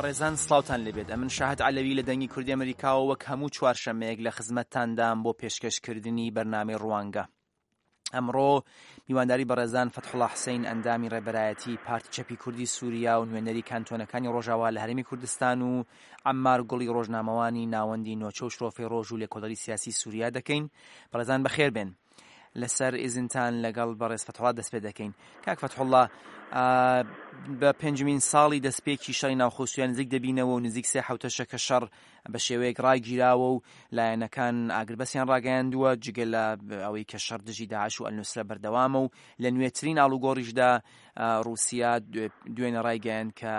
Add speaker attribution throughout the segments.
Speaker 1: بەڕێزان سڵاوتان لێبێت ئەمن شاهد عەلەوی لە دەنگی کوردی ئەمریکاوە وەک هەموو چوارشەمەیەک لە خزمەتتاندام بۆ پێشکەشکردنی بەرنامەی ڕوانگە. ئەمڕۆ میوانداری بەڕێزان فەتحوڵا حسین ئەندامی ڕێبەرایەتی پارتی چەپی کوردی سووریا و نوێنەری کانتۆنەکانی ڕۆژاوا لە هەرێمی کوردستان و عەممار گوڵی ڕۆژنامەوانی ناوەندی نۆچە و شرۆفەی ڕۆژ و لێکۆڵەری سیاسی سووریا دەکەین. بەڕێزان بەخێر بێن. لەسەر ئیزنتان لەگەڵ بەڕێز فەتحوڵا دەست پێ دەکەین. کاک فەتحوڵا بە پێنجمین ساڵی دەستپێکی شەڕی ناوخۆ سووریا نزیک دەبینەوە و نزیک سێ حوتەشە کە شەڕ بە شێوەیەک ڕاگیراوە و لایەنەکان ئاگربەسیان ڕاگەیاندووە، جگە لە ئەوەی کە شەڕ دژی داعش و ئەلنوسرە بەردەوامە و لە نوێترین ئاڵوگۆڕیشدا ڕووسیا دوێنێ ڕایگەیاند کە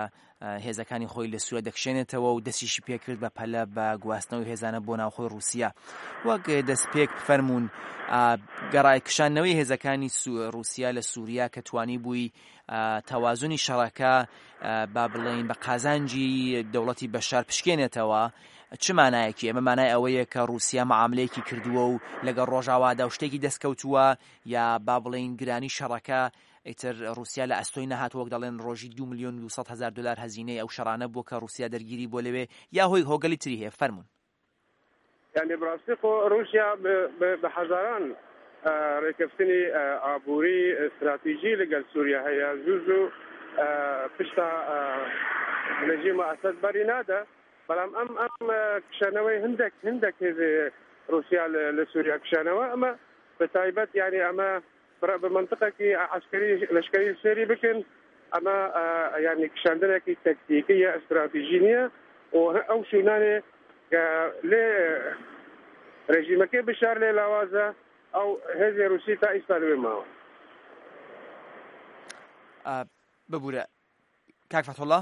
Speaker 1: هێزەکانی خۆی لە سووریا دەکشێنێتەوە و دەستیشی پێکرد بە پەلە بە گواستنەوەی هێزانە بۆ ناوخۆی ڕووسیا. وەک دەستپێک فەرموون گەڕای کشاندنەوەی هێزەکانی ڕووسیا لە سووریا کە توانیبووی تەوازنی شەڕەکە با بڵێین بە قازانجی دەوڵەتی بەشار پشکێنێتەوە چ مانایەکی ئەمە مانای ئەوەیە کە رووسیا معاملەیەکی کردووە و لەگەڵ ڕۆژاوادا و شتێکی دەستکەوتووە یا با بڵێین گرانی شەڕەکە ئیتر رووسیا لە ئەستۆی نەهات وەک دەڵێن ڕۆژی 2 میلیۆن و 200 هزار دلار هەزینەی ئەو شەڕانە بووە کە رووسیا دەرگیری بۆ لەوێ یا هۆی هۆگەلی تری هەیە فەرمونون.
Speaker 2: یانی بەڕاستی خۆ ڕووسیا بە هەزاران ڕێکەفتنی ئابووری ستراتیژی لەگەل سووریا هەیە زوو زوو پشتا رژیمە ئەسەد بەری نادە بەڵام ئەم ئەم کشانەوەی هەندێک هەندێک هێزی رووسیا لە سووریا کشانەوە ئەمە بە تایبەت یعنی ئەمە بە مەنتقێکی عەسکەری لەشکەری سێری بکەن ئەمە یانی کشاندنێکی تەکتیکی یا ئەستراتیژی نییە و ئەو شوونانێ کە لێ رژیمەکەی بشار لێ لاوازە ئەو هێزی رووسی تا ئیستا لەوێ ماوە.
Speaker 1: ببورە کاک فەتحوڵا.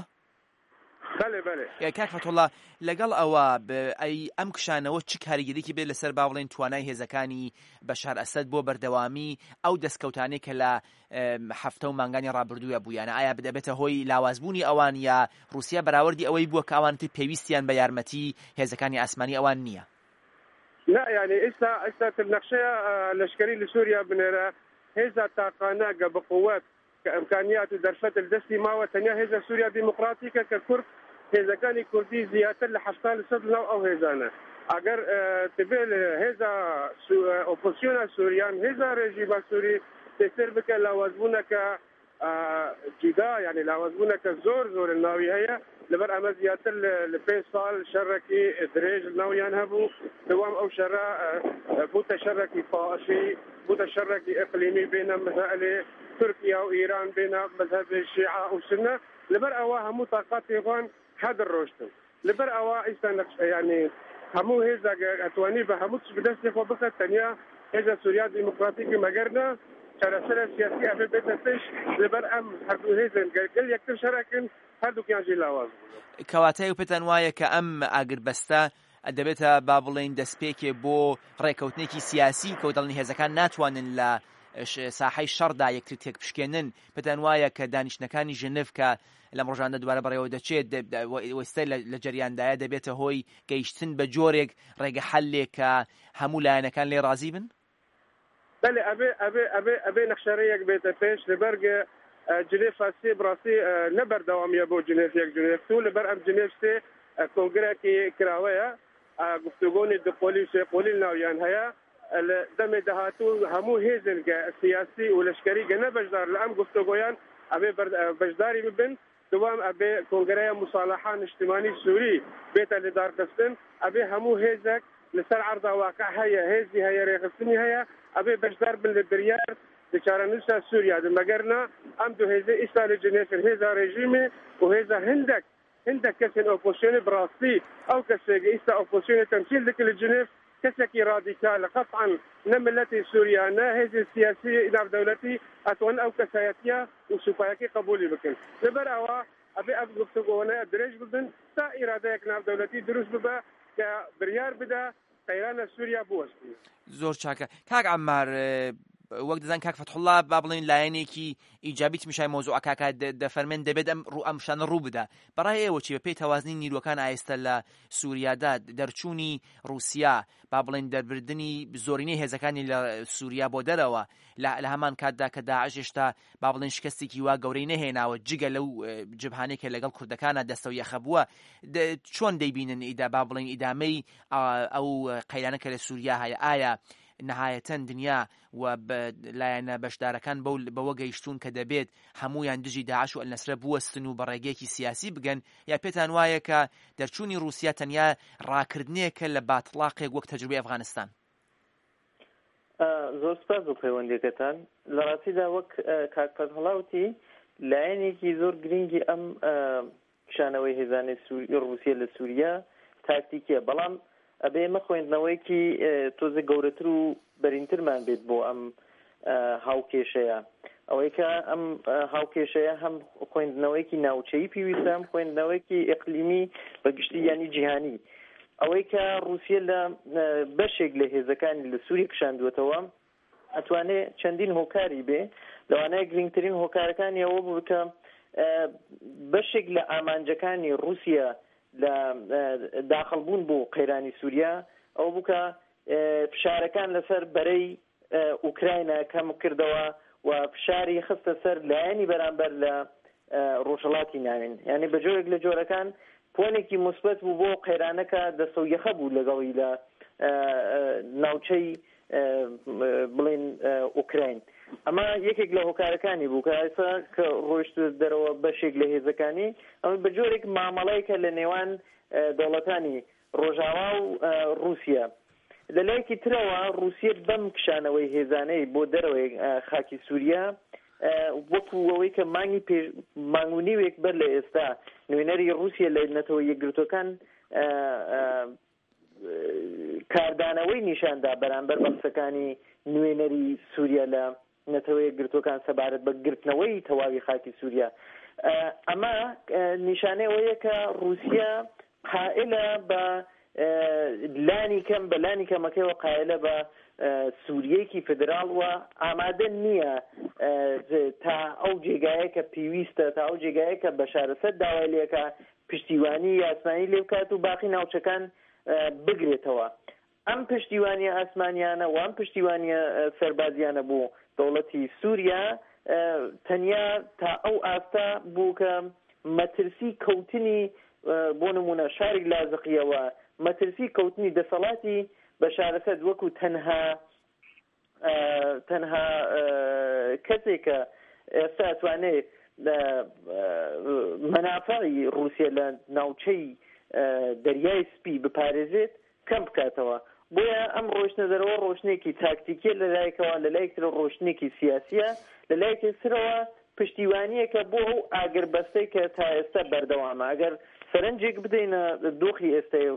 Speaker 2: بەلێ بەلێ.
Speaker 1: کاک فەتحوڵا لەگەڵ ئەوە ئەی ئەم کشانەوە چ کاریگەریی بێت لەسەر با بڵێین توانای هێزەکانی بەشار ئەسەد بۆ بەردەوامی ئەو دەستکەوتانەی کە لە هەفتە و مانگانی ڕابردووە بوویانە ئایا دەبێتە هۆی لاوازبوونی ئەوان یا ڕووسیا بەراوردی ئەوەی بووە کە ئەوان تر پێویستیان بە یارمەتی هێزەکانی ئاسمانی ئەوان نییە؟
Speaker 2: نا یانی ئیستا ئیستا تر نەخشەیە لەشکەری لە سووریا بنێرە هێزا تاقانە گە بقوەت کە ئیمکانیات و دەرفەت لە دەستی ماوە تەنیا هێزە سووریا دیموکراتیکە کە کورد هێزەکانی کوردی زیاتر لە 70 لە سەد لەناو ئەو هێزانە ئەگەر تبێ هێزا ئۆپۆزسیۆنا سووریان هێزا رێژیما سووری تێسر بکە لاوازبوونەکە جودا یعنی لاوازبوونەکە زۆر زۆر ناوی هەیە لەبەر ئەمە زیاتر لە پێ ساڵ شەڕێکی درێژ ناویان هەبوو دوام ئەو شەڕە بووتە شەڕێکی تائیفی بووتە شەڕێکی ئیقلیمی بێنە مەسائلی تورکیا و ئیران بێنە مەزهەبی شیعە و سونە لەبەر ئەوە هەموو تاقاتی خوان هەدر ڕۆشتن لەبەر ئەوە ئیستا نەخش یانی هەموو هێزە ئەتوانی بە هەموو تش بدەستی خۆ بخە تەنیا هێزە سوریا دیموکراتیکی مەگەر نا چارەسەرە سیاسی ئەبێ بێتە پێش لەبەر ئەم هەردوو هێزن گەر گەل یەکتر شەرەکن هەردووکیان ژی لاواز بوون.
Speaker 1: کەواتە ئێوە پێتان وایە کە ئەم ئاگربەستە دەبێتە با بڵێین دەستپێکێ بۆ ڕێکەوتنێکی سیاسی کە دەڵێن هێزەکان ناتوانن لە ساحەی شەڕدا یەکتر تێکبشکێنن، پێتان وایە کە دانیشتنەکانی ژنف کە لەم ڕۆژانە دووبارە بەڕێوە دەچێت ئێستا لە جەریاندایە دەبێتە هۆی گەیشتن بە جۆرێک ڕێگە حەلێک کە هەموو لایەنەکان لێ ڕازی بن؟
Speaker 2: بەلێ ئەبێ ئەبێ ئەبێ ئەبێ نەخشەرێیەک بێتە پێش لەبەر گە جنێف سێ بڕاستی نە بەردەوامیە بۆ جنێف یەک جنێف دوو لەبەر ئەم جنێف سێ کۆنگرەکی کراوەیە گفتوگۆنی دوقۆلی و سێقۆلی ناویان هەیە لە دەمێ داهاتوو هەموو هێزن گە سیاسی و لەشکەری گە نە بەشدار لە ئەم گفتوگۆیان ئەبێ بەشداری ببن دووەم ئەبێ کۆنگرەیە موسالەحە نیشتیمانی سوری بێتە لدارخستن، ئەبێ هەموو هێزەک لەسەر عەرزا واقع هەیە هێزی هەیە رێخستنی هەیە ئەبێ بەشدار بن لە بریار لە چارەنووسا سوریا د مەگەر نا ئەم دوو هێزە ئیستا لە جنێفن هێزا رێژیمێ و هێزا هندەک هندەک کەسێن ئۆپۆسیۆنێ بڕاستی ئەو کەسێ گە ئیستا ئۆپۆسیۆنێ تەمسیل دکە لە جنێف کەسێکی رادیکالە قەتعەن نە ملەتی سوریا نە هێزی سیاسی ناودەولەتی ئەتوانن ئەو کەسایەتیە و سوپایەکەی قبولی بکەن لەبەر ئەوە ئەبێ ئەم گفتوگۆانە درێژ ببن تا ئیرادەیەک ناودەولەتی دروست ببە کە بریار بدا قەیرانە سوریا بوەستنێ.
Speaker 1: زۆر چاکە کاک عەمار. وەک دەزان کاک فەتحوڵا با بڵێین لایەنێکی ئیجابی تمیشای مەوزوعەکە دەفەرمێن دەبێت ئەم ڕوو ئەم شتانە ڕوو بدا بەڕای ئێوە چی بەپێی تەوازنی نیروەکان ئایستە لە سووریادا دەرچوونی ڕووسیا با بڵێن دەربردنی زۆرینەی هێزەکانی لە سووریا بۆ دەرەوە لە هەمان کاتدا کە داعش هێشتا با بڵێن شکستێکی وا گەورەی نەهێناوە جگە لەو جبهانەی کە لەگەڵ کوردەکانە دەستەو یەخە بووە چۆن دەیبینن ئیدا با بڵێن ئیدامەی ئەو قەیرانە کە لە سووریا هەیە ئایا نەهایەتەن دنیا و لایەنە بەشدارەکان بەو بەوە گەیشتوون کە دەبێت هەموویان دژی داعش و ئەلنەسرە بوەستن و بە ڕێگەیەکی سیاسی بگەن یا پێتان وایە کە دەرچوونی ڕووسیا تەنیا ڕاکردنێکە لە باتڵاقێک وەک تەجروبەی ئەفغانستان؟
Speaker 3: زۆر سپاس بۆ پەیوەندیەکەتان. لە ڕاستیدا وەک کاک فەتحوڵا وتی لایەنێکی زۆر گرنگی ئەم کشانەوەی هێزانی ڕووسیە لە سووریا تاکتیکیە، بەڵام ئەبێ ئێمە خوێندنەوەیەکی تۆزێک گەورەتر و بەرینترمان بێت بۆ ئەم هاوکێشەیە. ئەوەی کە ئەم هاوکێشەیە هەم خوێندنەوەیەکی ناوچەیی پێویستە، هەم خوێندنەوەیەکی ئیقلیمی بە گشتی یانی جیهانی. ئەوەی کە ڕووسیە لە بەشێک لە هێزەکانی لە سووریە کشاندووەتەوە، ئەتوانێ چەندین هۆکاری بێ، لەوانەیە گرینگترین هۆکارەکانی ئەوە بوو کە بەشێک لە ئامانجەکانی ڕووسیە لە داخڵ بوون بۆ قەیرانی سووریا ئەوە بوو کە فشارەکان لەسەر بەرەی ئوکراینا کەم کردەوە و فشاری خستە سەر لایەنی بەرامبەر لە ڕۆژهەڵاتی ناوین. یانی بە جۆرێک لە جۆرەکان پۆنێکی موسبەت بوو بۆ قەیرانەکە دەستەویەخە بوو لەگەڵی لە ناوچەی بڵێن ئوکراین. ئەمە یەکێک لە هۆکارەکانی بوو کە ئێستا کە ڕۆیشت دەرەوە بەشێک لە هێزەکانی ئەمە بە جۆرێک مامەڵەیەکە لە نێوان دەوڵەتانی ڕۆژاوا و ڕووسیە. لە لایەکی ترەوە ڕووسیە بەم کشانەوەی هێزانەی بۆ دەرەوەی خاکی سووریا وەکوو ئەوەی کە مانگی پێش مانگ و نیوێک بەر لە ئێستا نوێنەری ڕووسیە لە نەتەوە یەکگرتووەکان کاردانەوەی نیشان دا بەرامبەر بە قسەکانی نوێنەری سووریا لە نەتەوە یەکگرتووەکان سەبارەت بە گرتنەوەی تەواوی خاکی سووریا، ئەمە نیشانەی ئەوەیە کە ڕووسیا قائلە بە لانی کەم بە لانی کەمەکەیەوە قایلە بە سووریەیەکی فیدراڵ و ئامادە نییە تا ئەو جێگایە کە پێویستە تا ئەو جێگایە کە بەشار ئەسەد داوای لێکا پشتیوانی یاسمانی لێ بکات و باقی ناوچەکان بگرێتەوە. ئەم پشتیوانیە ئاسمانیانە و ئەم پشتیوانیە سەربازیانە بۆ دەوڵەتی سوریا تەنیا تا ئەو ئاستە بوو کە مەترسی کەوتنی بۆ نموونە شاری لازقیە و مەترسی کەوتنی دەسەڵاتی بەشار ئەسەد وەکو تەنها تەنها کەسێک کە ئێستا ئەتوانێ مەنافعی ڕووسیە لە ناوچەی دەریای سپی بپارێزێت کەم بکاتەوە. بۆیە ئەم ڕۆیشتنە دەرەوە ڕۆیشتنێکی تاکتیکیە لە لایەکەوە، لە لایەکی ترەوە ڕۆیشتنێکی سیاسیە، لە لایەکی ترەوە پشتیوانییەکە بۆ ئەو ئاگربەستەی کە تا ئێستا بەردەوامە. ئەگەر سەرنجێک بدەینە دۆخی ئێستای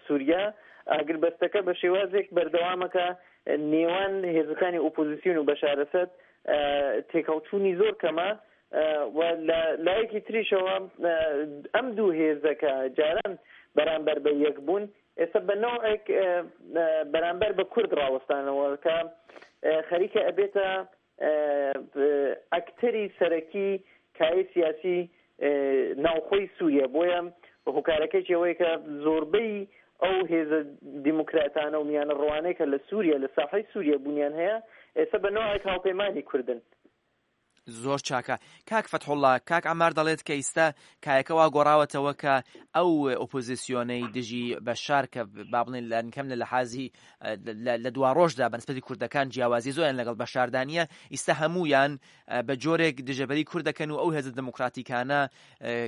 Speaker 3: سوریا، ئاگربەستەکە بە شێوازێک بەردەوامە کە نێوان هێزەکانی ئۆپۆزیسیۆن و بەشار ئەسەد تێکهەڵچوونی زۆر کەمە و لە لایەکی تریشەوە ئەم دوو هێزە کە جاران بەرامبەر بە یەک بوون، ئێستا بە نەوعێک بەرامبەر بە کورد ڕاوەستانەوە کە خەریکە ئەبێتە ئەکتەری سەرەکی کایەی سیاسی ناوخۆی سوریە، بۆیە هۆکارەکەیشی ئەوەیە کە زۆربەی ئەو هێزە دیموکراتانە و میانەڕەوانەی کە لە سوریە لە ساحەی سوریە بوونیان هەیە ئێستا بە نەوعێک هاوپەیمانی کوردن.
Speaker 1: زۆر چاکە کاک فەتحوڵا، کاک عەمار دەڵێت کە ئیستا کایەکە وا گۆڕاوەتەوە کە ئەو ئۆپۆزیسیۆنەی دژی بەشار کە با بڵێن لانیکەم لە لەحازی لە دواڕۆژدا بە نسبەتی کوردەکان جیاوازی زۆریان لەگەڵ بەشاردا نییە، ئیستا هەموویان بە جۆرێک دژەبەری کورد دەکەن و ئەو هێزە دێموکراتیکانە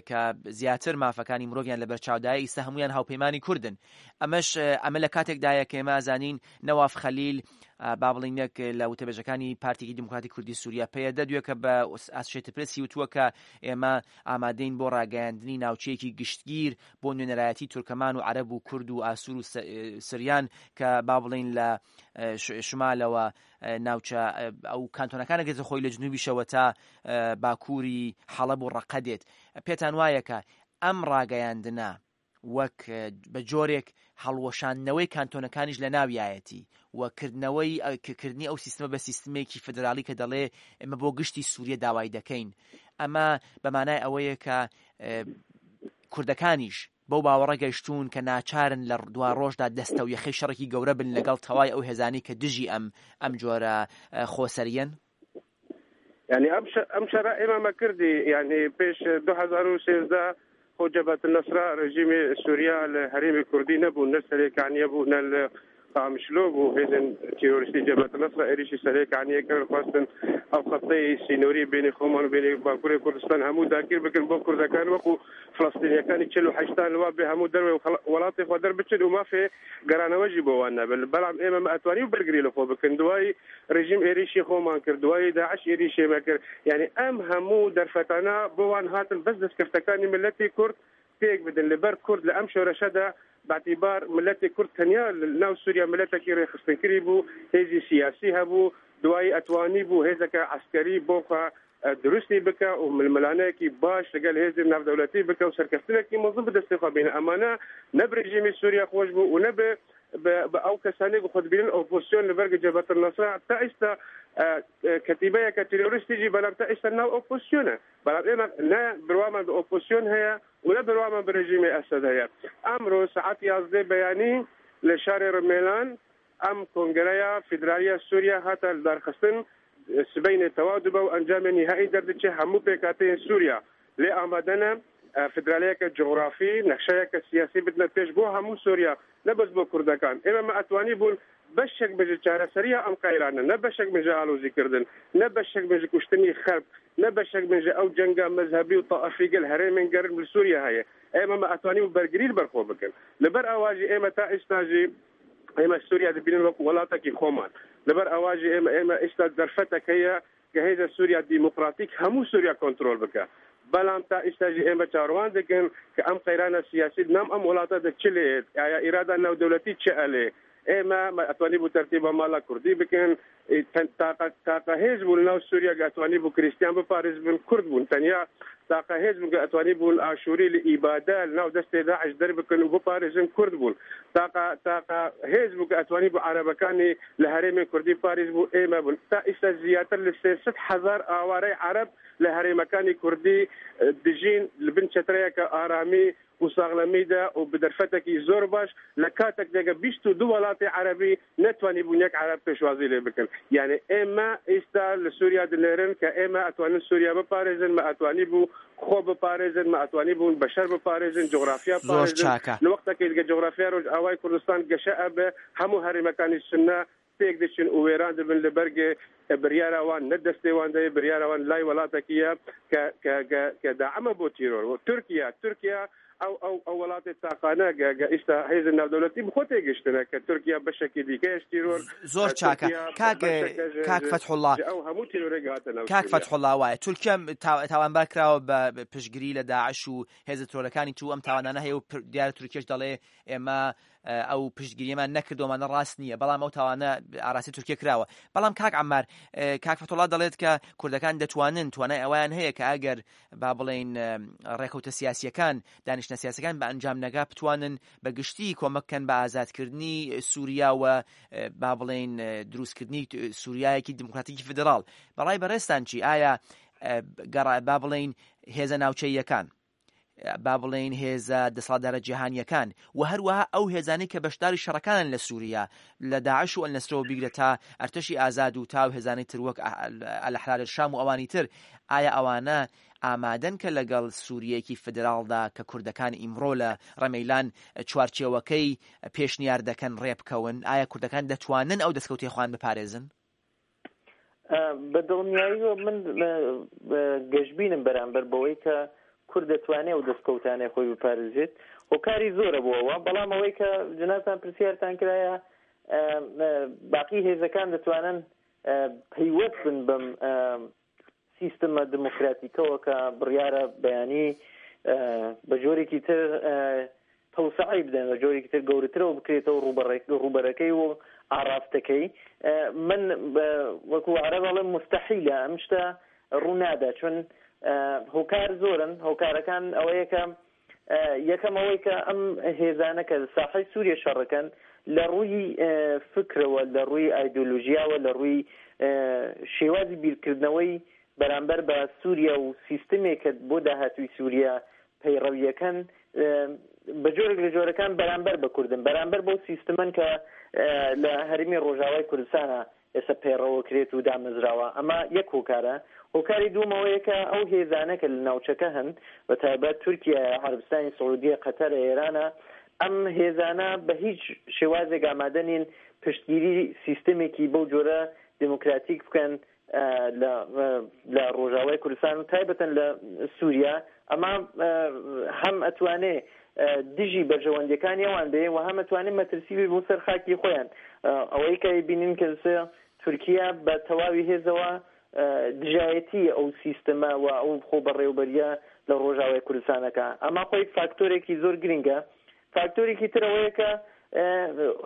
Speaker 1: کە زیاتر مافەکانی مرۆڤیان لەبەر چاودایە ئیستا هەموویان هاوپەیمانی کوردن. ئەمەش ئەمە لە کاتێکدایە کە ئێمە ئەزانین نەواف خەلیل با بڵێین یەک لە وتەبێژەکانی پارتێکی دیموکراتی کوردی سووریا پەیەدە دوێکە بە ئاسۆشێتد پرێسی وتووە کە ئێمە ئامادەین بۆ ڕاگەیاندنی ناوچەیەکی گشتگیر بۆ نوێنەرایەتی تورکەمان و عەرەب و کورد و ئاسوور و سریان کە با بڵێین لە شمالەوە ناوچە ئەو کانتۆنەکانە گرتە خۆی لە جنوبیشەوە تا باکووری حەڵەب و ڕەقە دێت. پێتان وایە کە ئەم ڕاگەیاندنە. وەک بە جۆرێک هەڵوەشاندنەوەی کانتۆنەکانیش لە ناویایەتی و کردنەوەی کردنی ئەو سیستمە بە سیستمێکی فدرالی کە دەڵێ ئێمە بۆ گشتی سووریە داوای دەکەین ئەمە بە مانای ئەوەیە کە کوردەکانیش بەو باوەڕە گەیشتوون کە ناچارن لە دوا ڕۆژدا دەستە و یەخەی شەڕێکی گەورە بن لەگەڵ تەوای ئەو هێزانەی کە دژی ئەم ئەم جۆرە خۆسەریەن؟
Speaker 2: یعنی ئەم ئەم شەرە ئێمە مەکردی یعنی پێش 2013 خۆ جەبهەت النصرە رژیمی سوریا لە هەرێمی کوردی نەبوو نە سەرێکانیە بوو نە لە قامیشلۆ بوو هێزن تیرۆریستی جەبهەت النصرە ئێریشی سەرێکانیە کرد خواستن ئەو خەتەی سینۆری بینی خۆمان و بینی باکووری کوردستان هەموو داگیر بکەن بۆ کوردەکان وەکو فلستینیەکانی 48 لوا بێ هەموو دەروێ وڵاتی خۆ دەربچن و مافێ گەرانەوەژی بۆ وان نەبن بەڵام ئێمە ئەتوانی و بەرگری لە خۆ بکەن دوای رژیم ئێریشی خۆمان کرد دوای داعش ئێریشی مە کرد یعنی ئەم هەموو دەرفەتانە بۆ وان هاتن بەس دەستکەفتەکانی ملەتی کورد تێک بدەن لەبەر کورد لە ئەم شۆرەشەدا باعتیبار ملەتی کورد تەنیا ناو سووریا ملەتێکی ڕێکخستنکردی بوو هێزی سیاسی هەبوو دوایی ئەتوانی بوو هێزەکە عسکەری بۆ خوا دروستی بکە و ململانەیەکی باش لەگەل هێزی ناودەولەتی بکە و سەرکەفتنێکی مەزن بەدەستی خوا بینە ئەمانە نە برژیمی سووریا خۆش بوو و نە بە ئەو کەسانێک خۆ دبینن ئۆپۆزسیۆن لە بەرگە جەبهەت النصرە تا ئێستا کەتیبەیەکە تیرۆریستیجی بەڵام تا ئێستا ناو ئۆپۆزسیۆنە بەڵام ئێمە نە بروامان بە ئۆپۆزسیۆن هەیە و نە بروامان بە رژیمی ئەسەد هەیە ئەمڕۆ سەعات 11 بەیانی لە شاری ڕمێلان ئەم کۆنگرەیە فیدرالیە سووریا هاتە لەدارخستن سبەینێ تەواو دبە و ئەنجامی نیهایی دەردەچێ هەموو پێکهاتەیەن سووریا لێ ئامادەنە فیدرالیەکە جوغرافی نەخشەیەکە سیاسی بدنە پێش بۆ هەموو سووریا نە بەس بۆ کوردەکان ئێمە مە ئەتوانی بوون بەشێک بژ چارەسەریە ئەم قەیرانە نە بەشێک بژ ئالۆزی کردن نە بەشێک بژ کوشتنی خەلک نە بەشێک بژ ئەو جەنگە مەزهەبی و تائفی گەل هەرێمێن گەرم لە سووریا هەیە ئێمە مە ئەتوانی بوو بەرگری بەرخۆ بکەن لەبەر ئەواژی ئێمە تا ئێستاژی ئێمە سووریا دەبینن وەکو وڵاتێکی خۆمان لەبەر ئەواژی ئێمە ئێمە ئێستا دەرفەتێک هەیە کە هێزە سووریا دیموکراتیک هەموو سووریا کۆنترۆل بکە بەڵام تا ئێستاژی ئێمە چاوەڕوان دەکەن کە ئەم قەیرانە سیاسی نام ئەم وڵاتە دە چ لێت ئایا ئیرادا ناودەولەتی چ ئەلێ ئێمە ئەتوانی بوو تەرتیبە ماڵە کوردی بکەن تاقە تاقە هێز بوون ناو سووریا کە ئەتوانی بوو کریستیان بپارێز بن کورد بوون تەنیا تاقە هێز بوون کە ئەتوانی بوون ئاشووری لە ئیبادە ناو دەستێ داعش دەربکەن و بپارێزن کورد بوون تاقە تاقە هێز بوو کە ئەتوانی بوو عەرەبەکانی لە هەرێمی کوردی پاریس بوو ئێمە بوون تا ئیستا زیاتر لە 300 هەزار ئاوارەی عەرەب لە هەرێمەکانی کوردی دژین لە بن چەترەیەکە ئارامی و ساغلەمیدا و بە دەرفەتێکی زۆر باش لە کاتێک دەگە 22 وڵاتی عەرەبی نەتوانی بوون یەک عەرەب پێشوازی لێ بکەن یعنی ئێمە ئێستا لە سووریا دنێرن کە ئێمە ئەتوانن سووریا بپارێزن مە ئەتوانی بوو خۆ بپارێزن مە ئەتوانی بوون بەشەر بپارێزن جوغرافیا
Speaker 1: زۆر
Speaker 2: پارێزن
Speaker 1: چاکە.
Speaker 2: لە وەختێکی دیگە جوغرافیا ڕۆژئاوای کوردستان گەشە ئەبێ هەموو هەرێمەکانی سوننە تێک دەچن و وێران دەبن لە بەرگێ بریارە وان نە دەستێ وان دەیە بریارە وان لای وڵاتەکیە کە کە کە کە داعمە بۆ تیرۆر و تورکیا تورکیا ئەو ئەو ئەو وڵاتی تاقانە گە گە ئیستا هێز ناودەولەتی بخۆ تێگەشتنە کە تورکیا بەشێکی دیکەیش تیرۆر
Speaker 1: زۆر چاکە
Speaker 2: تورکیا
Speaker 1: کاک
Speaker 2: بەشێکە ژ
Speaker 1: کاک
Speaker 2: ژ
Speaker 1: فەتحوڵا
Speaker 2: ژ ئەو هەموو تیرۆرێک هاتە ناو
Speaker 1: کاک
Speaker 2: سوریا.
Speaker 1: فەتحوڵا وایە تورکیا تاوانبار کراوە بە پشتگیری لە داعش و هێزە ترۆلەکانی تو ئەم تاوانانە هەیە و دیارە تورکیەش دەڵێ ئێمە ئەو پشتگیریەمان نەکردومانە ڕاست نییە بەڵام ئەو تاوانە ئاراسی تورکیە کراوە بەڵام کاک عمار کاک فەتوڵا دەڵێت کە کوردەکان دەتوانن توانای ئەویان هەیە کە ئەگەر با بڵێین ڕێکەوتە سیاسیەکان دانیشتە سیاسەکان بە ئەنجام نەگا بتوانن بە گشتی کۆمەک کەن بە ئازادکردنی سووریا و با بڵێین دروستکردنی سووریایەکی دیموکراتیکی فیدراڵ بەڕای بەڕێزتان چی ئایا گەڕا با بڵێین هێزە ناوچەییەکان با بڵێین هێزە دەسەڵاتدارە جیهانییەکان و هەروەها ئەو هێزانەی کە بەشداری شەڕەکانن لە سووریا لە داعش و ئەلنەسرەوە بیگرە تا ئەرتەشی ئازاد و تا ئەو هێزانەی تر وەک ئەلئەحرار شام و ئەوانی تر ئایا ئەوانە ئامادەن کە لەگەڵ سووریەکی فیدراڵدا کە کوردەکان ئیمڕۆ لە ڕەمەیلان چوارچێوەکەی پێشنیار دەکەن ڕێبکەون؟ ئایا کوردەکان دەتوانن ئەو دەستکەوتەی خۆیان بپارێزن؟
Speaker 3: بە دڵنیاییەوە من گەشبینم بەرامبەر بەوەی کە کورد دەتوانێت ئەو دەستکەوتانەی خۆی بپارێزێت هۆکاری زۆرە بۆ ئەوە بەڵام ئەوەی کە جنابتان پرسیارتان کرایە باقی هێزەکان دەتوانن پەیوەست بن بەم سیستمە دموکراتیکەوە کە بڕیارە بەیانی بە جۆرێکی تر تەوسعەی بدەن بە جۆرێکی تر گەورەترەوە بکرێتەوە ڕووبەرەکەی و ئاڕاستەکەی من وەکو عەرەب ئەڵێم مستحیلە ئەم شتە ڕوو نادا چون هۆکار زۆرن هۆکارەکان ئەوەیە کە. یەکەم ئەوەی کە ئەم هێزانە کە ساحەی سووریە شەڕەکەن لە ڕووی فکرەوە، لە ڕووی ئایدۆلۆژیاوە، لە ڕووی شێوازی بیرکردنەوەی بەرامبەر بە سووریا و سیستمێک کە بۆ داهاتووی سووریا پەیڕەویەکەن بە جۆرێک لە جۆرەکان بەرامبەر بە کوردن، بەرامبەر بەو سیستمەن کە لە هەرێمی ڕۆژاوای کوردستانە ئێستا پەیڕەوەکرێت و دامەزراوە، ئەمە یەک هۆکارە، هۆکاری دووەم ئەوەیە کە ئەو هێزانە کە لە ناوچەکە هەن بە تایبەت تورکیایە، عەرەبستانی سعودیە، قەتەرە، ئێرانە، ئەم هێزانە بە هیچ شێوازێک ئامادە نین پشتگیری سیستەمێکی بەو جۆرە دێموکراتیک بکەن لە لە ڕۆژاوای کوردستان و تایبەتەن لە سووریا، ئەمە هەم ئەتوانێ دژی بەرژەوەندیەکانی ئەوان بێ و هەم ئەتوانێ مەترسی بێ بۆ سەر خاکی خۆیان. ئەوەی کە ئەیبینین کە تورکیا بە تەواوی هێزەوە دژایەتی ئەو سیستمە و ئەو خۆبەڕێوبەریە لە ڕۆژاوای کوردستان ئەکا. ئەمە خۆی فاکتۆرێکی زۆر گرینگە. فاکتۆرێکی تر ئەوەیە کە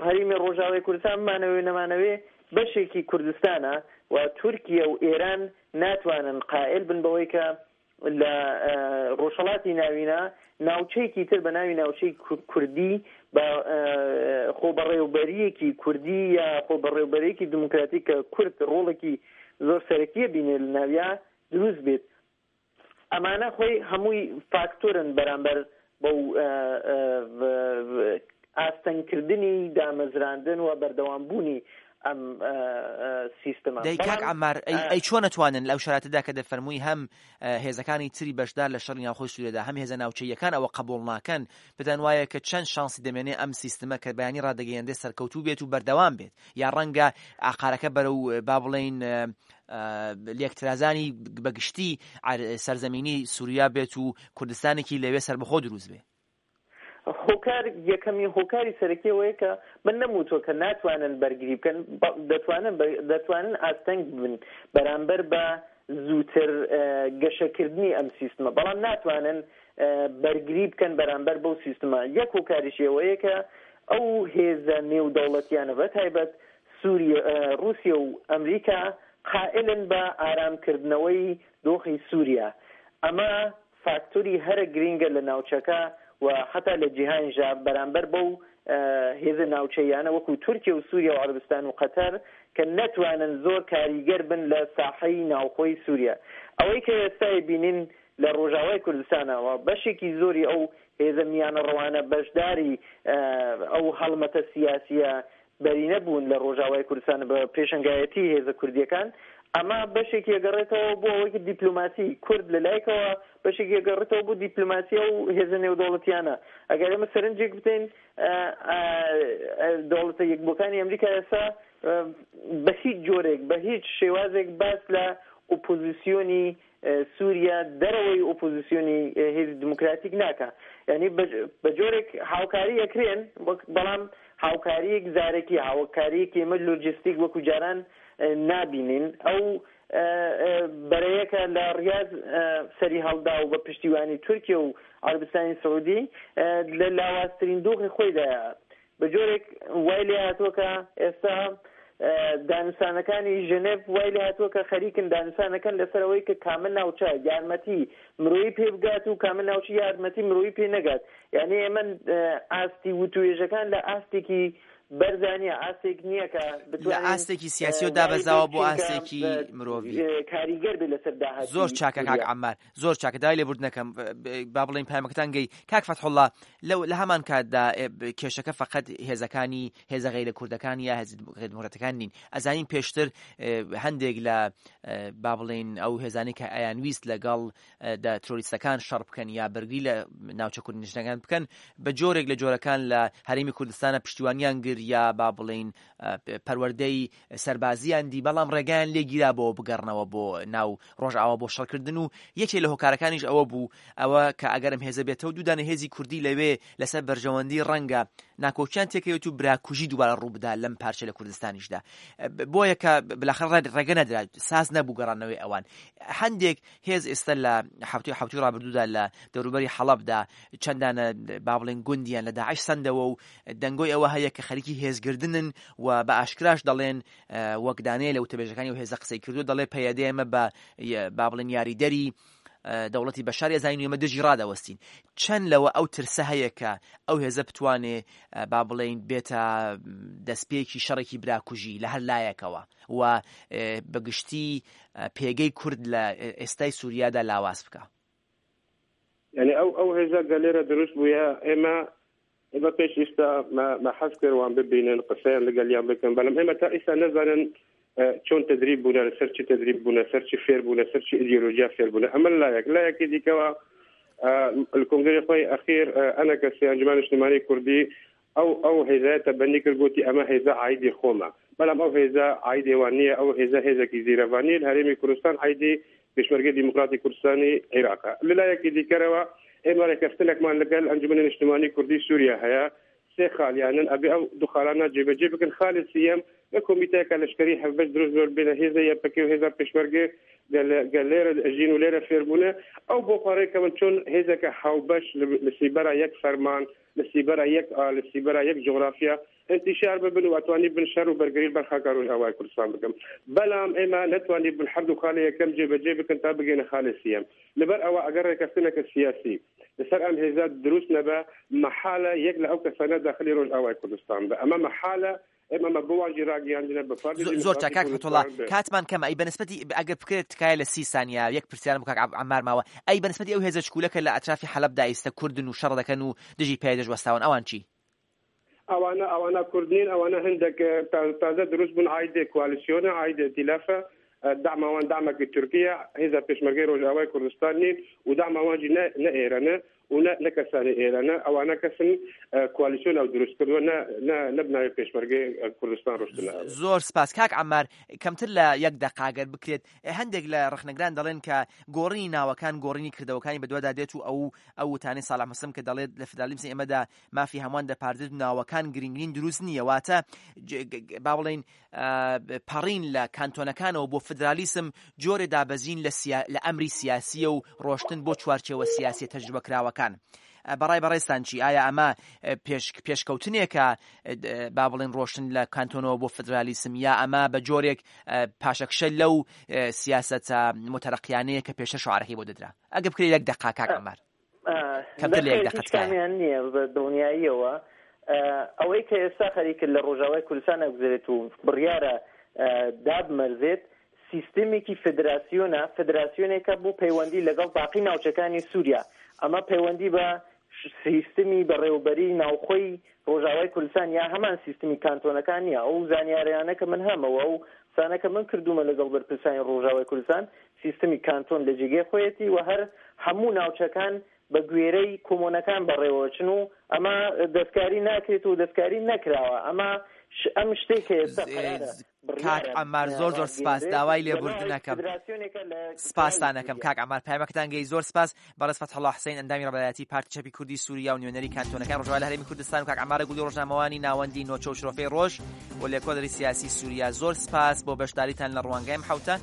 Speaker 3: هەریمی ڕۆژاوای کوردستان بمانەوێ و نەمانەوێ بەشێکی کوردستانە و تورکیە و ئێران ناتوانن قائل بن بەوەی کە لە ڕۆژهەڵاتی ناوینە ناوچەیەکی تر بە ناوی ناوچەی کوردی بە خۆبەڕێوبەریەکی کوردی یا خۆبەڕێوبەرێکی دیموکراتی کە کورد ڕۆڵێکی زۆر سەرەکیە بینێ لە ناویا دروست بێت. ئەمانە خۆی هەمووی فاکتۆرن بەرامبەر بەو ئاستەنگکردنی دامەزراندن و بەردەوامبوونی ئەم سیستمە.
Speaker 1: دەی کاک عەمار ئەی چۆن ئەتوانن لەو شەراتەدا کە دەفەرمووی هەم هێزەکانی تری بەشدار لە شەڕی ناوخۆی سوریادا هەم هێزە ناوچەییەکان ئەوە قبوڵ ناکەن پێتان وایە کە چەند شانسی دەمێنێ ئەم سیستمە کە بەیانی ڕادەگەیەنرێ سەرکەوتوو بێت و بەردەوام بێت یا ڕەنگە ئاقارەکە بەرەو با بڵێین لێکترازانی بەگشتی سەرزەمینی سوریا بێت و کوردستانێکی لەوێ سەربەخۆ دروست بێ؟
Speaker 3: هۆکار یەکەمین هۆکاری سەرەکی ئەوەیە کە من نەموتووە کە ناتوانن بەرگری بکەن دەتوانن دەتوانن ئاستەنگ بن بەرامبەر بە زووتر گەشەکردنی ئەم سیستمە بەڵام ناتوانن بەرگری بکەن بەرامبەر بەو سیستمە یەک هۆکاریشی ئەوەیە کە ئەو هێزە نێودەوڵەتیانە بە تایبەت سووریە ڕووسیە و ئەمریکا قائلن بە ئارامکردنەوەی دۆخی سووریا ئەمە فاکتۆری هەرە گرینگە لە ناوچەکە و حەتا لە جیهانیشدا بەرامبەر بەو هێزە ناوچەییانە وەکوو تورکیە و سووریا و عەرەبستان و قەتەر کە نەتوانن زۆر کاریگەر بن لە ساحەی ناوخۆی سووریا. ئەوەی کە ئێستا ئەیبینین لە ڕۆژاوای کوردستانەوە بەشێکی زۆری ئەو هێزە میانەڕەوانە بەشداری ئەو هەڵمەتە سیاسییە بەرینە بوون لە ڕۆژاوای کوردستان بە پێشەنگایەتی هێزە کوردییەکان، ئەمە بەشێکی ئەگەڕێتەوە بۆ ئەوەی کە دیپلۆماسی کورد لە لایەکەوە بەشێکی ئەگەڕێتەوە بۆ دیپلۆماسی ئەو هێزە نێودەوڵەتیانە. ئەگەر ئێمە سەرنجێک بدەین دەوڵەتە یەکبووەکانی ئەمریکا ئێستا بە هیچ جۆرێک بە هیچ شێوازێک باس لە ئۆپۆزیسیۆنی سووریا دەرەوەی ئۆپۆزیسیۆنی هێزی دیموکراتیک ناکا یانی بە جۆرێک هاوکاری ئەکرێن وەک بەڵام هاوکاریەک زارەکی هاوکاریەکی ئێمە لۆجستیک وەکو جاران نابینین ئەو بەرەیە کە لە ڕیاز سەری هەڵدا و بە پشتیوانی تورکیە و عەربستانی سعودی لە لاوازترین دۆخی خۆیدایە بە جۆرێک وای لێ هاتووە کە ئێستا دانوسانەکانی ژنێڤ وای لێ هاتووە کە خەریکن دانوسانەکەن لەسەر ئەوەی کە کامە ناوچە یارمەتی مرۆیی پێ بگات و کامە ناوچە یارمەتی مرۆیی پێ نەگات. یانی ئێمە ئاستی وتوێژەکان لە ئاستێکی بەرزا نییە، ئاستێک نییە کە
Speaker 1: لە
Speaker 3: بتوانین
Speaker 1: ئاستێکی سیاسیەوە
Speaker 3: وای لێ
Speaker 1: دابەزاوە بۆ
Speaker 3: بچین کە
Speaker 1: ئاستێکی مرۆڤی.
Speaker 3: کاریگەر بێت لەسەر
Speaker 1: زۆر
Speaker 3: داهاتووی
Speaker 1: چاکە کاک
Speaker 3: سووریا.
Speaker 1: عەمار. زۆر چاکە داوای لێبوردن ئەکەم با بڵێین پەیامەکەتان گەی کاک فەتحوڵا لەو لە هەمان کاتدا کێشەکە فقط هێزەکانی هێزە غەیرە کوردەکان یا هێزە غەیرە دیموکراتەکان نین ئەزانین پێشتر هەندێک لە با بڵێین ئەو هێزانەی کە ئەیان ویست لەگەڵ دە ترۆریستەکان شەڕ بکەن یا بەرگری لە ناوچە کوردنشینەکان بکەن بە جۆرێک لە جۆرەکان لە هەرێمی کوردستانە پشتیوانیان گر یا با بڵێین پەروەردەی سەربازیان دی بەڵام ڕێگایان لێ گیرا بۆ بگەڕنەوە بۆ ناو ڕۆژئاوا بۆ شەڕکردن و یەکێ لە هۆکارەکانیش ئەوە بوو ئەوە کە ئەگەر ئەم هێزە بێتەوە دوودانە هێزی کوردی لەوێ لەسەر بەرژەوەندی ڕەنگە ناکۆکیان تێکەوێت و براکوژی دووبارە ڕووبدا لەم پارچە لە کوردستانیشدا بۆیە کە بلاخەر ڕێگە نەدرا ساز نەبوو گەڕانەوەی ئەوان هەندێک هێز ئێستا لە هەفتەی حوتوی ڕابردوودا لە دەوروبەری حەڵەبدا چەندانە با بڵێن گوندیان لە داعش سەندەوە و دەنگۆی ئەوە هەیە کە خەریکی هێزگردنن و بە ئاشکراش دەڵێن وەک دانەیە لە وتەبێژەکانی و هێزە قسەی کردو دەڵێ پەیەدە ئێمە بە با بڵێن یاریدەری. دەوڵەتی بەشار ئەزانین و ئێمە دژی ڕادەوەستین. چەند لەوە ئەو ترسە هەیە کە ئەو هێزە بتوانێ با بڵێین بێتە دەستپێکی شەڕێکی براکوژی لە هەر لایەکەوە و بە گشتی پێگەی کورد لە ئێستای سووریادا لاواز بکا؟
Speaker 2: یعنی ئەو ئەو هێزە گەلێرە دروست بووە ئێمە ئێمە پێش ئیستا مە حەز کرد وان ببینن قسەیان لەگەلیان بکەن بەڵام ئێمە تا ئیستا نەزانن چۆن تدریب بوونە لەسەر چی تدریب بوونە سەر چی فێر بوونە سەر چی ئیدیۆلۆژیا فێر بوونە ئەمە لایەک لایەکی دیکەوە الکۆنگرەی خۆی ئەخیر ئەنە کەسی ئەنجومەن نیشتمانی کوردی ئەو ئەو هێزایە تەبەنی کرد گوتی ئەمە هێزە عیدی خۆمە بەڵام ئەو هێزە عیدی وان نییە ئەو هێزە هێزێکی زیرەڤانی هەرێمی کوردستان عیدی پێشمەرگەی دیموکراتی کوردستانی عێراقە. لەلایەکی دیکەرەوە ئێمە رێکەفتنێکمان لەگەل ئەنجومەنی نیشتمانی کوردی سوریا هەیە، سێ خالیانن ئەبێ ئەو دوو خالانە جێبەجێ بکەن، خالی سییەم لە کۆمیتەیەکە لەشکەری هەڤبەش دروست بێ بێنە هێزە یەپەکێ و هێزا پێشمەرگێ گە لێرە ئەژین و لێرە فێر بوونە ئەو بۆ خوا رێکەون چۆن هێزەکە هاوبەش لە سیبەرا یەک فەرمان لە سیبەرا یەک ئا لە سیبەرا یەک جوغرافیا ئینتیشار ببن و ئەتوانی بن شەر و بەرگری بەر خاکا رۆژئاوای کوردستان بکەن بەلام ئێمە نەتوانی بن هەردوو خالێ یەکەم جێ بەجێ بکەن تا بگەینە خالێ سیەم لەبەر ئەوە ئەگەر رێکەفتنەکە سیاسی لەسەر ئەم هێزە دروست نەبە مەحالە یەک لە ئەو کەسانە داخلی رۆژئاوای کوردستان بە ئەمە مەحالە ئێمە مە بۆ وان ژی ڕاگەیاندنە بە پارتی
Speaker 1: زۆر چاک
Speaker 2: دیموکراتی
Speaker 1: کاک فەتحوڵا
Speaker 2: کوردستان بێ.
Speaker 1: کاتمان کەمە ئەی بەنسبەتی ئەگەر بکرێت تکایە لە سی سانیە یەک پرسیارم بۆ کاک عەمار ماوە ئەی بەنسبەتی ئەو هێزە چکولە کە لە ئەترافی حەلەبدا ئیستە کوردن و شەڕ دەکەن و دژی پەیەدەش وەستاون ئەوان چی؟
Speaker 2: ئەوانە ئەوانە کورد نین ئەوانە هەندێک تازە دروست بوون عایدێ کوالیسیۆنە عایدێ ئیتیلافە دەعم ئەوان دەعمەکی تورکیە هێزە پێشمەرگەی ڕۆژئاوای کوردستان نین و دەعم ئەوان ژی نە نە ئێرانە و نە نە کەسانی ئێرانە ئەوانە کەسن کوالیسیۆن ئەو دروست کردووە نە نە نە بناوی پێشمەرگەی کوردستان ڕۆشتنە ئەوێ.
Speaker 1: زۆر سپاس کاک عەمار کەمتر لە یەک دەقە گەر بکرێت هەندێک لە ڕەخنەگران دەڵێن کە گۆڕینی ناوەکان گۆڕینی کردەوەکانی بەدوادا دێت و ئەو ئەو وتانەی ساڵح موسلم کە دەڵێت لە فدرالیزمی ئێمەدا مافی هەمووان دەپارێزێت و ناوەکان گرنگ نین دروست نییە واتە با بڵێین پەڕین لە کانتۆنەکانەوە بۆ فدرالیسم جۆرێ دابەزین لە سیا لە ئەمری سیاسیە و ڕۆشتن بۆ چوارچێوە سیاسیە تەجروبەکراوەکان. بەڕای بەڕێزتان چی؟ ئایا ئەمە پێش پێشکەوتنێکە با بڵێن ڕۆشتن لە کانتۆنەوە بۆ فدرالیسم یا ئەمە بە جۆرێک پاشەکشە لەو سیاسەتە موتەرەقیانەیە کە پێشتر شعارەکەی بۆ دەدرا؟ ئەگە بکرێت یەک دەقە کاک عەمار. کەمتر لە یەک
Speaker 3: نەخێر
Speaker 1: دەقە
Speaker 3: هیچ
Speaker 1: تکایە.
Speaker 3: کامیان نییە بە دڵنیاییەوە ئەوەی کە ئێستا خەریکە لە ڕۆژاوای کوردستان ئەگوزەرێت و بڕیارە دابمەرزێت سیستێمێکی فدراسیۆنە، فدراسیۆنێکە بۆ پەیوەندی لەگەڵ باقی ناوچەکانی سووریا، ئەمە پەیوەندی بە سیستمی بەڕێوەبەری ناوخۆی ڕۆژاوای کوردستان یا هەمان سیستمی کانتۆنەکان نییە، ئەو زانیاریانە کە من هەمە و ئەو قسانە کە من کردوومە لەگەڵ بەرپرسانی ڕۆژاوای کوردستان سیستمی کانتۆن لە جێگەی خۆیەتی و هەر هەموو ناوچەکان بە گوێرەی کۆمۆنەکان بەڕێوەچن و ئەمە دەستکاری ناکرێت و دەستکاری نەکراوە ئەمە ئەم شتەی کە ئێستا قەرارە
Speaker 1: کاک
Speaker 3: بڕیارە
Speaker 1: عەمار زۆر زۆر سپاس
Speaker 3: ڕابگەیەنرێت
Speaker 1: داوای
Speaker 3: لە
Speaker 1: لێبوردن
Speaker 3: ناوی
Speaker 1: ئەکەم
Speaker 3: فدراسیۆنێکە لە کراوی
Speaker 1: سپاستان ئەکەم
Speaker 3: سووریا.
Speaker 1: کاک عەمار پەیامەکەتان گەیشت زۆر سپاس بەڕێز فەتحوڵا حسین ئەندامی ڕابەرایەتی پارتی چەپی کوردی سووریا و نوێنەری کانتۆنەکانی ڕۆژاوا لە هەرێمی کوردستان و کاک عەمارە گولی ڕۆژنامەوانی ناوەندی نۆچە و شرۆفەی ڕۆژ و لێکۆڵەری سیاسی سووریا زۆر سپاس بۆ بەشداریتان لە ڕوانگای ئەم حەوتە.